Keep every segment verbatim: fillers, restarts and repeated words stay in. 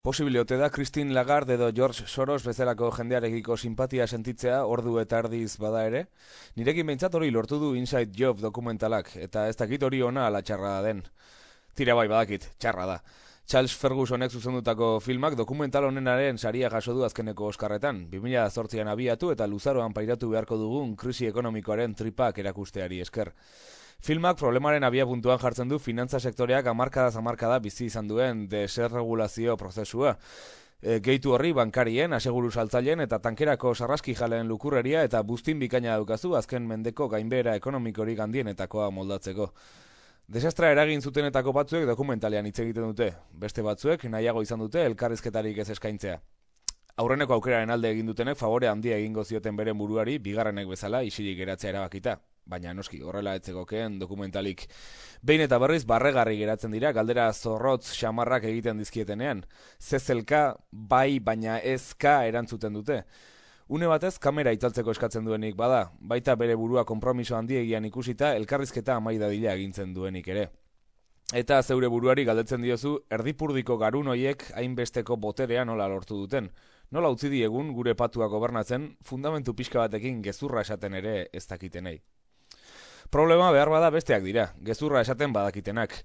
Posible ote da Christine Lagarde edo George Soros bezalako jendearekiko simpatia sentitzea ordu eta erdiz bada ere? Nirekin behintzat hori lortu du Inside Job dokumentalak, eta ez dakit hori ona ala txarra da den. Tira bai badakit, txarra da. Charles Fergusonek zuzendutako filmak dokumental honenaren saria jaso du azkeneko Oskarretan, bi mila zortzian abiatu eta luzaroan pairatu beharko dugun krisi ekonomikoaren tripak erakusteari esker. Filmak problemaren abia puntuan jartzen du finantza sektoreak hamarkadaz hamarkada bizi izan duen desregulazio prozesua. E, gehitu horri bankarien, aseguru saltzaileen eta tankerako sarraski jaleen lukurreria eta buztin bikaina daukazu azken mendeko gainbehera ekonomikorik handienetakoa moldatzeko. Desastra eragin zutenetako batzuek dokumentalean hitz egiten dute, beste batzuek nahiago izan dute elkarrizketarik ez eskaintzea. Aurreneko aukeraren alde egin dutenek favore handia egingo zioten beren buruari bigarrenek bezala isilik geratzea erabakita. Baina noski, horrela etzegokeen dokumentalik. Behin eta berriz barregarri geratzen dira, galdera zorrotz xamarrak egiten dizkietenean. Zezelka bai baina ezka erantzuten dute. Une batez kamera itzaltzeko eskatzen duenik bada, baita bere burua konpromiso handiegian ikusita elkarrizketa amaidadila egintzen duenik ere. Eta zeure buruari galdetzen diozu, erdipurdiko garun hoiek hainbesteko boterea nola lortu duten. Nola utzi diegun gure patua gobernatzen, fundamentu pixka batekin gezurra esaten ere ez dakitenei. Problema behar bada besteak dira, gezurra esaten badakitenak.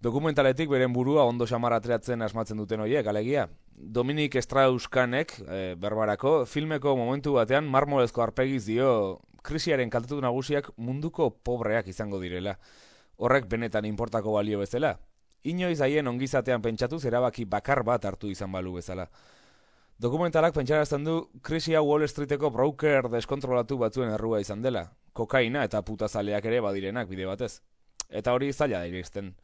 Dokumentaletik beren burua ondo xamar ateratzen asmatzen duten horiek, alegia. Dominic Strauss-Kahnek, e, berbarako, filmeko momentu batean marmolezko arpegiz dio krisiaren kaltetu nagusiak munduko pobreak izango direla. Horrek benetan inportako balio bezala. Inoiz haien ongizatean pentsatuz erabaki bakar bat hartu izan balu bezala. Dokumentalak pentsarazten du krisia Wall Streeteko broker deskontrolatu batzuen errua izan dela. Kokaina eta putazaleak ere badirenak bide batez. Eta hori zaila da iristen.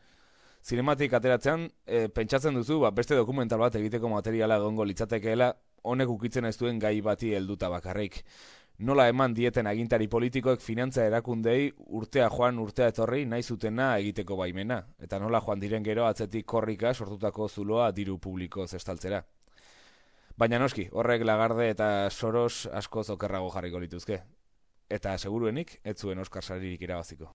Zinematik ateratzean, e, pentsatzen duzu ba, beste dokumental bat egiteko materiala egongo litzatekeela honek ukitzen ez duen gai bati helduta bakarrik. Nola eman dieten agintari politikoek finantza erakundei urtea joan urtea etorri nahi zutena egiteko baimena. Eta nola joan diren gero atzetik korrika sortutako zuloa diru publiko zestaltzera. Baina noski, horrek Lagarde eta Soros askoz okerrago jarriko lituzke. Eta seguruenik, ez zuen Oskar saririk irabaziko.